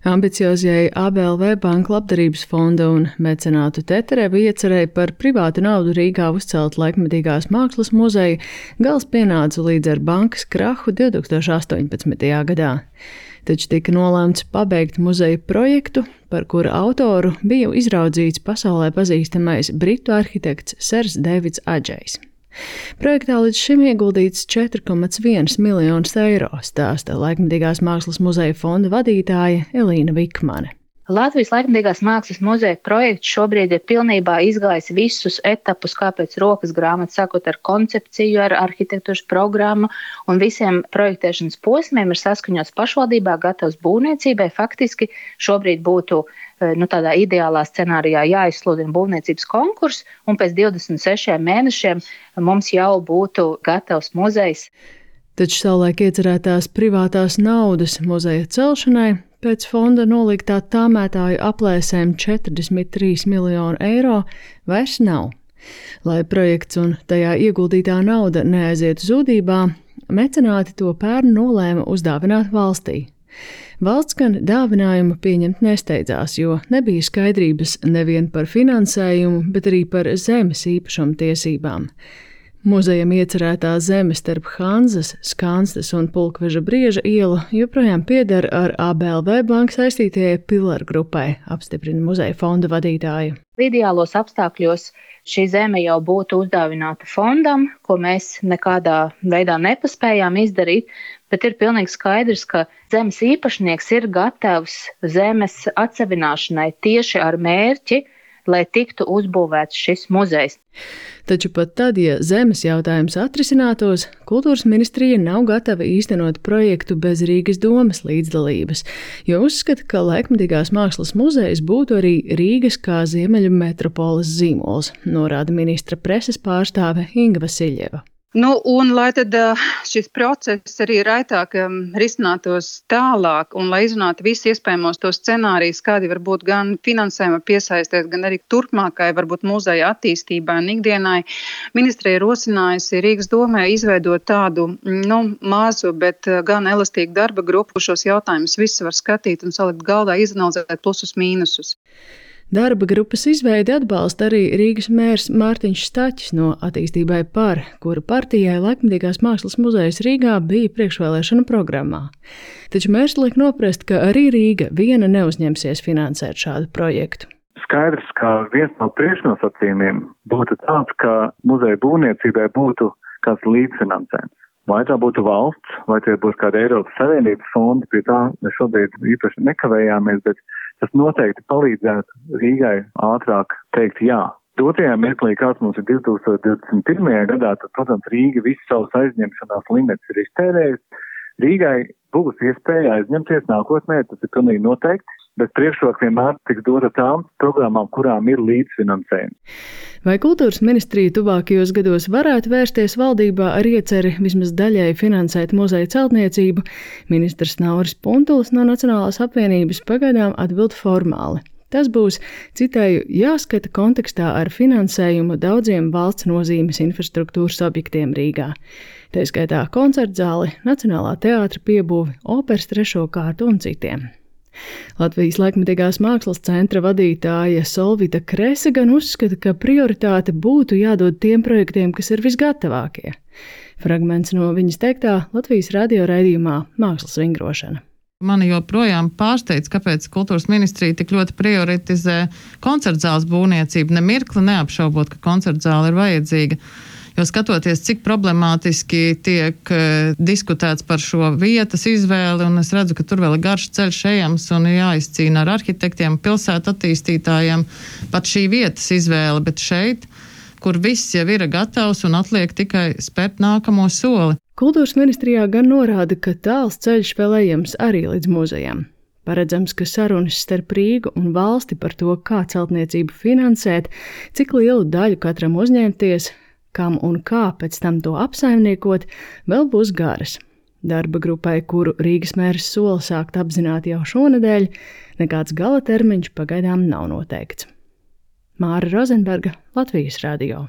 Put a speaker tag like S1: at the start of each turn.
S1: Ambiciozajai ABLV banka labdarības fonda un mecenātu Teterev iecerēja par privātu naudu Rīgā uzcelt laikmetīgās mākslas muzeju, gals pienāca līdz ar bankas krahu 2018. gadā. Taču tika nolēmts pabeigt muzeja projektu, par kura autoru bija izraudzīts pasaulē pazīstamais britu arhitekts Sers Deivids Adžejs. Projektā līdz šim ieguldīts 4,1 miljonus eiro, stāsta Laikmetīgās mākslas muzeja fonda vadītāja Elīna Vikmane.
S2: Latvijas Laikmetīgās mākslas muzeja projekts šobrīd ir pilnībā izgājis visus etapus, kā pēc rokas grāmatas, sākot ar koncepciju, ar arhitektūras programmu un visiem projektēšanas posmiem ir saskaņots pašvaldībā, gatavs būvniecībai. Faktiski šobrīd būtu tādā ideālā scenārijā jāizsludina būvniecības konkurss, un pēc 26 mēnešiem mums jau būtu gatavs muzejs.
S1: Taču savulaik iecerētās privātās naudas muzeja celšanai pēc fonda noliktā tāmētāju aplēsēm 43 miljonu eiro vairs nav. Lai projekts un tajā ieguldītā nauda neaizietu zudībā, mecenāti to pērn nolēma uzdāvināt valstī. Valsts gan dāvinājumu pieņemt nesteidzās, jo nebija skaidrības nevien par finansējumu, bet arī par zemes īpašuma tiesībām. Muzejam iecerētā zeme starp Hanzas, Skanstes un Pulkveža Brieža ielu joprojām pieder ar ABLV banku saistītajai Pilar grupai, apstiprina muzeja fonda vadītāja.
S2: Ideālos apstākļos šī zeme jau būtu uzdāvināta fondam, ko mēs nekādā veidā nepaspējām izdarīt, bet ir pilnīgi skaidrs, ka zemes īpašnieks ir gatavs zemes atsevināšanai tieši ar mērķi, lai tiktu uzbūvēts šis muzejs.
S1: Taču pat tad, ja zemes jautājums atrisinātos, kultūras ministrija nav gatava īstenot projektu bez Rīgas domas līdzdalības, jo uzskata, ka Laikmetīgās mākslas muzejs būtu arī Rīgas kā ziemeļu metropoles zīmols, norāda ministra preses pārstāve Inga Vasiļeva.
S3: Un lai tad šis process arī raitāk risinātos tālāk un lai izrunātu visu iespējamos tos scenārijus, kādi var būt gan finansējuma piesaistēs, gan arī turpmākai varbūt muzeja attīstībai un ikdienai, ministrija ir rosinājusi Rīgas domē izveidot tādu mazu, bet gan elastīgu darba grupu, šos jautājumus visus var skatīt un salikt galdā, izanalizēt plusus mīnusus.
S1: Darba grupas izveidi atbalsta arī Rīgas mērs Mārtiņš Staķis no Attīstībai par, kura partijai Laikmetīgās mākslas muzejs Rīgā bija priekšvēlēšanu programmā. Taču mērs liek noprast, ka arī Rīga viena neuzņemsies finansēt šādu projektu.
S4: Skaidrs, ka viens no priekšnosacījumiem būtu tāds, ka muzeja būvniecībai būtu kāds līdzfinansējums. Vai tā būtu valsts, vai tie būs kāda Eiropas Savienības fondi, pie tā mēs šobrīd īpaši nekavējāmies, bet tas noteikti palīdzētu Rīgai ātrāk teikt jā. Dotajā mirklī, kāds mums ir 2021. gadā, tad, protams, Rīga visu savus aizņemšanās limits ir iztērējusi. Rīgai būs iespēja aizņemties nākotnē, tas ir pilnīgi noteikti, bet priekšroka vienmēr tiks dota tām programmām, kurām ir līdzfinansējums.
S1: Vai kultūras ministrija tuvākajos gados varētu vērsties valdībā ar ieceri vismaz daļai finansēt muzeja celtniecību, ministrs Nauris Puntulis no Nacionālās apvienības pagaidām atbild formāli. Tas būs, citēju, jāskata kontekstā ar finansējumu daudziem valsts nozīmes infrastruktūras objektiem Rīgā. Tā skaitā koncertzāli, Nacionālā teātra piebūvi, operas 3. kārtu un citiem. Latvijas Laikmetīgās mākslas centra vadītāja Solvita Krese gan uzskata, ka prioritāte būtu jādod tiem projektiem, kas ir visgatavākie. Fragments no viņas teiktā Latvijas radio raidījumā Mākslas vingrošana.
S5: Mani joprojām pārsteidz, kāpēc kultūras ministrija tik ļoti prioritizē koncertzāles būvniecību, nemirkli neapšaubot, ka koncertzāle ir vajadzīga. Jo skatoties, cik problemātiski tiek diskutēts par šo vietas izvēli, un es redzu, ka tur vēl ir garš ceļš ejams un jāizcīna ar arhitektiem, pilsētu attīstītājiem pat šī vietas izvēle, bet šeit, kur viss jau ir gatavs un atliek tikai spērt nākamo soli.
S1: Kultūras ministrijā gan norāda, ka tāls ceļš vēl ejams arī līdz muzejam. Paredzams, ka sarunas starp Rīgu un valsti par to, kā celtniecību finansēt, cik lielu daļu katram uzņemties, kam un kā pēc tam to apsaimniekot, vēl būs garas. Darba grupai, kuru Rīgas mērs sola sākt apzināt jau šonedēļ, nekāds gala termiņš pagaidām nav noteikts. Māra Rozenberga, Latvijas radio.